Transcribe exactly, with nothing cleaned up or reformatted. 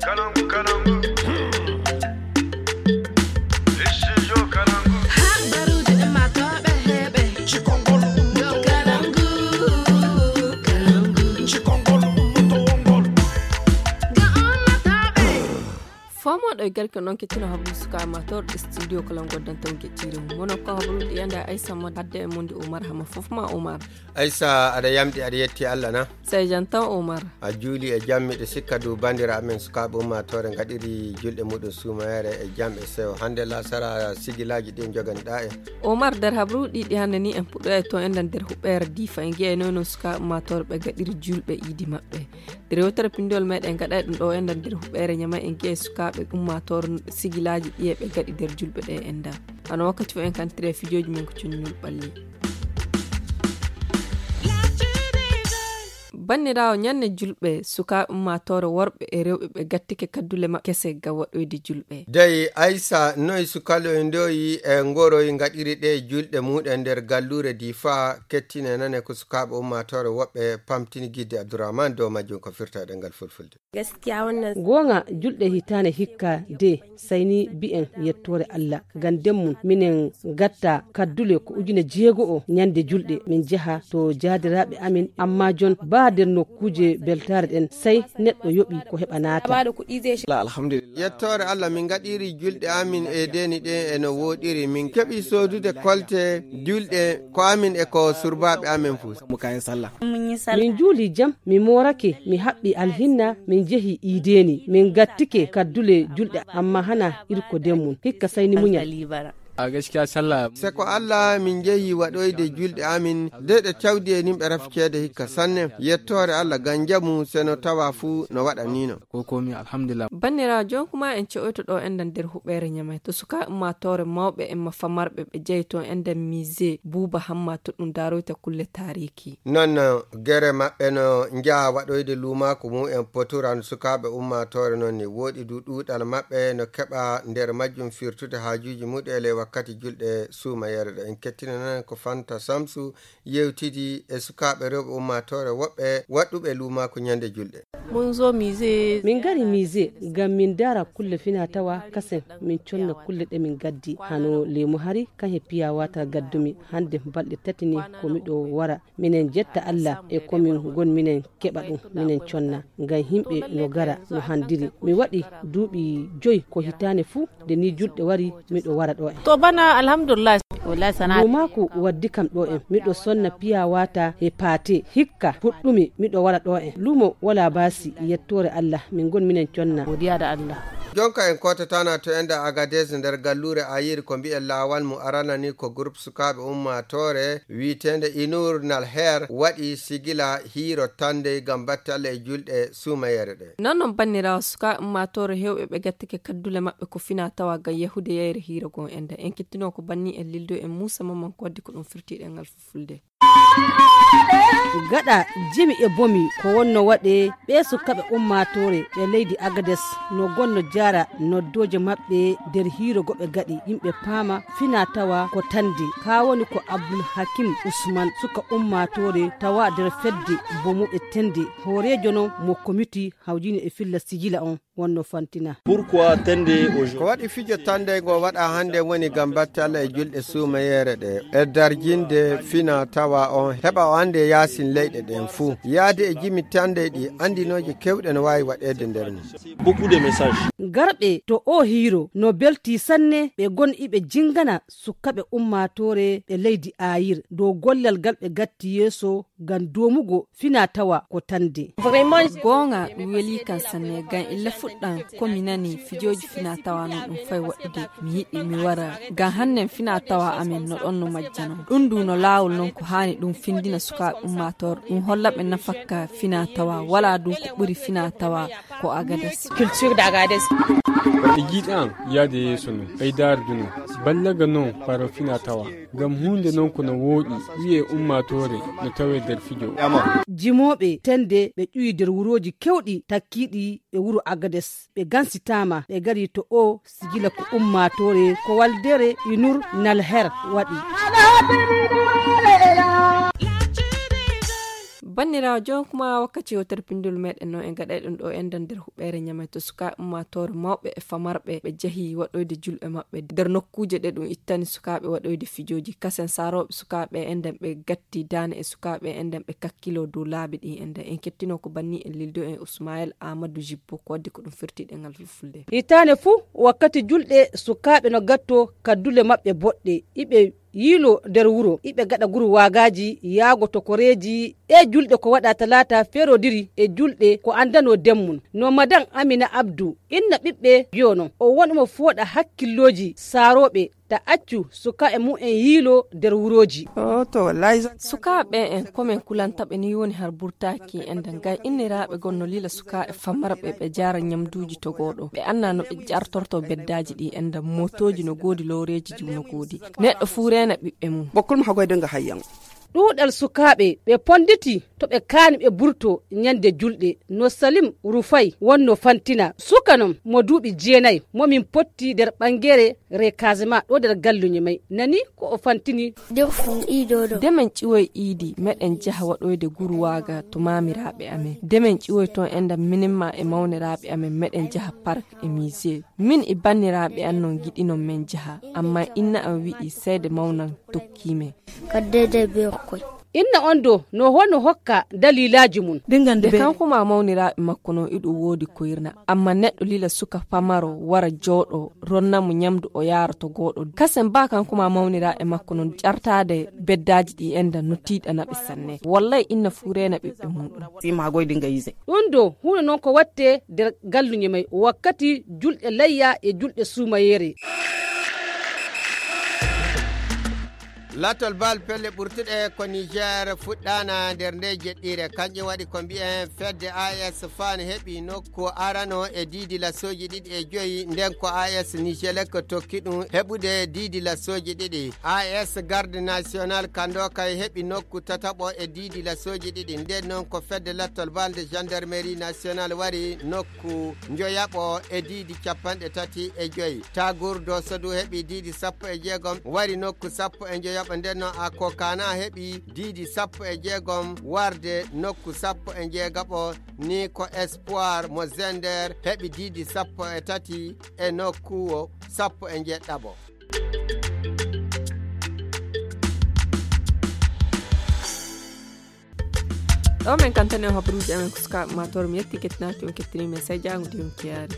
Kalangu, kalangu. Studio Kalangu. Habaruuji ummaatooɓe heɓe. Cikongol ummaatooɓe. Kalangu, kalangu. Cikongol ummaatooɓe. Ga ummaatooɓe. Fomooɗo e garke noon kettino habru suka ummaatooɓe studio Kalangu dan taw gettiri. Mono ko habruuji yanda Aïssa Mod hadde e Mondi Omar Hama fof ma Omar. Aïssa, aɗa yamɗi, aɗa yetti Allah na? Sey jam tan, Omar. A juuli e jam, miɗo sikka du bandira amen sukaaɓe ummaatoore ngaɗiri julɗe muɗum suumayere e jam e sewo. Hannde lasara sigilaaji ɗi jogani ɗa en. Omar, nder habruuji ɗi hannde ni en puɗɗoyay toon enɗan nder huɓɓeere Diifa. En ngi'ay noy no sukaaɓe ummaatoore ɓe ngaɗiri julɓe iidi maɓɓe. Nder yewtere pinndol meɗen gaɗay ɗum ɗo enɗan nder huɓɓeere Ñamay en ngi'ay sukaaɓe ummaatoore sigilaaji ɗi e ɓe ngaɗi nder julɓe ɗe enɗan. Hano wakkati fof en kantire fijooji men ko coññol ɓalli. Banniraawo, ñande julɓe, sukaaɓe ummaatoore worɓe e rewɓe ɓe gattike kaddule maɓɓe kese ga waɗoyde julɓe. Dey Aysa, noy sukaloy ndoyi e ngoroy ngaɗiri ɗe julɗe muɗen nder galluure Difa, kettine nane ko sukaaɓe ummaatoore woɓɓe pamtini gidde Abdourahmane dow majjum ko firta e ɗemngal fulfulde. Gaskiya wannan. Goonga, julɗe hitaande hikka de, sai ni bi'en yettoore Allah. Ngam nden mum, minen ngatta kaddule ko ujine jeego'o ñande julɗe, min njaha to jaadiraaɓe amin, amma jon baa nder nokkuuje beltaare ɗen, sai neɗɗo yoɓi ko heɓa naata. Ba da kuɗi zai shiga. Alhamdulillah. Yettoore Allah, min ngaɗiri julɗe amin e deeni ɗen e no wooɗiri. Min keɓi soodude kolte julɗe ko amin e ko surbaaɓe amin fuu. Mu kayan sallah. Mun yi sallah. Min juuli jam, mi moorake, mi haɓɓi alhinna, min njehi iideeni, min ngattike kaddule julɗe, amma hana irko den mum. Hikka sai ni muñal. A gaskiya sallah. Se ko Allah min njehi waɗoyde julɗe amin, de ɗe cawdi e nimɓe rafi ceede hikka sanne. Yettoore Allah ngam njamu se no tawa fuu no waɗa ni no. Ko komi alhamdulillah. Banniraawo, jon kuma en ce'oyto ɗo enɗan nder huɓeere Ñamay. To suka ummaatoore mawɓe e ma famarɓe ɓe jeyi toon enɗan musée Buuba Hamma to ɗum daaroyta kulle taariki. Non, gere maɓɓe no njaha waɗoyde luumaaku mumen poturan sukaaɓe ummaatoore non ni. Wooɗi du ɗuuɗal maɓɓe no keɓa nder majjum firtude haajuuji muɗum e ley wakkati julɗe suumayeere ɗo. En kettina non ko Fanta Samsu yewtidi e sukaaɓe rewɓe ummaatoore woɓɓe waɗɗuɓe luumaaku ñande julɗe. Mun zo musée. Min ngari musée ngam min ndaara kulle fina tawa kasen min conna kulle ɗe min gaddi. Hano leemu hari kan he piya watar gaddumi. Hande balɗe tati ni ko miɗo wara. Minen jetta Allah e ko min ngon minen keɓa ɗum minen conna. Ngam himɓe no gara no handiri. Mi waɗi duuɓi joy ko hitaane fuu nde ni julɗe wari miɗo wara ɗo en. To bana alhamdulillah. Wallahi sana'a. Luumaaku waddi kam ɗo en. Miɗo sonna piya wata e paate. Hikka puɗɗumi miɗo wara ɗo en. Luumo wala baasi yettoore Allah. Min ngon minen conna. Godiya da Allah. Jonka en kotatana to enda Agadez nder galluure Ayiri ko mbi'en laawal mu arana ni ko groupe sukaaɓe ummaatoore wi'eteende Inur Nalher waɗi sigila hiiro tande ngam batte Allah e julɗe suumayeere ɗe. Non non banniraawo sukaaɓe ummaatoore hewɓe ɓe gattike kaddule maɓɓe ko fina tawa ngam yahude yayre hiiro gon enda. En kettino ko banni en lildo en Muusa Mamman ko waddi ko ɗum firtiɗen ngal fulfulde. Gaɗa jimi e bomi ko wonno waɗe ɓe sukaaɓe ummaatoore ɓe leydi Agades no gonno jaara noddooje maɓɓe nder hiiro goɓe gaɗi yimɓe paama fina tawa ko tande. Ka woni ko Abdul Hakim Usman suka ummaatoore tawa nder fedde bomuɓe tende hooreejo non mo komiti hawjini e filla sijila on. Wonno fantina. Pourquoi tende aujourd'hui? Ko waɗi fijo tande ngo waɗa hannde woni ngam batte Allah e julɗe suumayeere ɗe. E darjinde fina tawa on heɓa o annde yaasin leyɗe ɗen fuu. Yaade e jimi tande ɗi anndinooje kewɗe no waawi waɗeede nder mum. Beaucoup de messages. Garɓe to o hiiro no belti sanne ɓe gon iɓe jingana sukkaɓe ummaatoore ɓe leydi Ayir dow gollal gal ɓe gatti yeeso ngam doomugo fina tawa ko tande. Goonga ɗum weli kan sanne ngam illa fuɗɗan ko mi nani fijooji fina tawa non ɗum fay waɗude mi yiɗi mi wara ngam hannen fina tawa amen no ɗon no majjano ɗum du no laawol non ko haani ɗum findina sukaaɓe ummaatoore ɗum holla ɓe nafakka fina tawa wala du ko ɓuri fina tawa ko Agades. Culture d'Agades. E jiiɗi an yaade yeeso non ɓeydaare du non ballaga non faro fina tawa. Ngam huunde non ko no wooɗi wi'e ummaatoore no tawee nder fijo. Jimooɓe tende ɓe ƴuwi nder wurooji kewɗi takkiiɗi e wuro Agades ɓe gansitaama ɓe gari to o sijila ko ummaatoore ko waldere Inur Nalher waɗi. Banndiraawo, jooni kuma wakkati yewtere pinndol meɗen noon, en gaɗay ɗum ɗo enɗan nder huɓeere Ñamey to sukaaɓe ummaatoore mawɓe e famarɓe ɓe njahi waɗoyde julɗe maɓɓe nder nokkuuje ɗe ɗum ittani sukaaɓe waɗoyde fijooji. Kasen saarooɓe sukaaɓe enɗan ɓe gatti daane e sukaaɓe enɗan ɓe kakkiloo dow laabi ɗi enɗan. En kettino ko banni en lildo en Usmayel Amadou Jibbo ko waddi ko ɗum firtiɗe ngal fulfulde. Hitaande fuu wakkati julɗe sukaaɓe no gatto kaddule maɓɓe boɗɗe, iɓe yiilo nder wuro, iɓe gaɗa guru waagaaji yaago to koreeji. Ɗee julɗe ko waɗa talaata feerodiri e julɗe ko anndanoo demmum. No madan Amina Abdu, inna ɓiɓɓe, yono o won omo fooɗa hakkillooji saarooɓe ta accu sukaaɓe mum en yiilo nder wurooji. Sukaaɓe en komen kulanta ɓe ni woni har burtaaki en da ngay inniraaɓe gonno lila sukaaɓe famarɓe ɓe jaara ñamduuji togooɗo ɓe anna no ɓe jartorto beddaaji ɗi en da mootooji no goodi lowreeji jiw no goodi. Neɗɗo fuu reena ɓiɓɓe mum. Bokkol mo hagoyde nga hayyan. Ɗuuɗal sukaaɓe ɓe ponditi to ɓe kaani ɓe burto ñande julɗe no Salim Rufay wonno fantina suka non mo duuɓi jeenay mo min potti nder ɓangere Rekasema ɗo nder galluñe may nani ko o fantini. Demen ƴiwoy iidi meɗen jaha waɗoyde gurwaaga to maamiraaɓe amen. Demen ƴiwoy toon enɗam minimma e mawniraaɓe amen meɗen jaha park e musée. Min e banniraaɓe an non ngiɗinon men jaha, ammaa inna am wi'i seede mawnan tokkii men. Kaddeede be okkoy. Inna on do no hono hokka daliilaaji mum. Ɗingande be kanko ma mawniraaɓe makko non iɗo woodi koyrna, ammaa neɗɗo lila suka pamaro wara jooɗo ronna mo ñamdu o yaara to gooɗo. Kasen ba kanko ma mawniraaɓe makko non ƴartaade beddaaji ɗi enda no tiiɗana ɓe sanne. Wallay inna fuu reena ɓiɓɓe muɗum. Ɗum do huno non ko watte nder galluñe may wakkati julɗe layya e julɗe suumayeere. Lattol bal pelle ɓurtuɗe ko Niger fuɗɗaana nder nde jeɗɗire. Kanƴe waɗi ko mbiyen fedde A S Fan heɓi nokku arano e diidi lasooji ɗiɗi e joyi, nden ko A S Nigelec tokki ɗum heɓude diidi lasooji ɗiɗi. A S Garde National Kandokay heɓi nokku tataɓo e diidi lasooji ɗiɗi. Nden noon ko fedde lattol balde Gendarmerie National wari nokku njoyaɓo e diidi capanɗe tati e joyi. Tagour Dosso du heɓi diidi sappo e jeegom wari nokku sappo e njoyaɓo. Nden noon Akokana heɓi diidi sappo e jeegom warde nokku sappo e njeegaɓo. Ni ko Espoir mo Zender heɓi diidi sappo e tati e nokku sappo e njeɗɗaɓo. Ɗo men kantani on habaruuji amen ko sukaaɓe ma toro mi yetti kettinaaki on kettini men sai jaango de on kiyaari.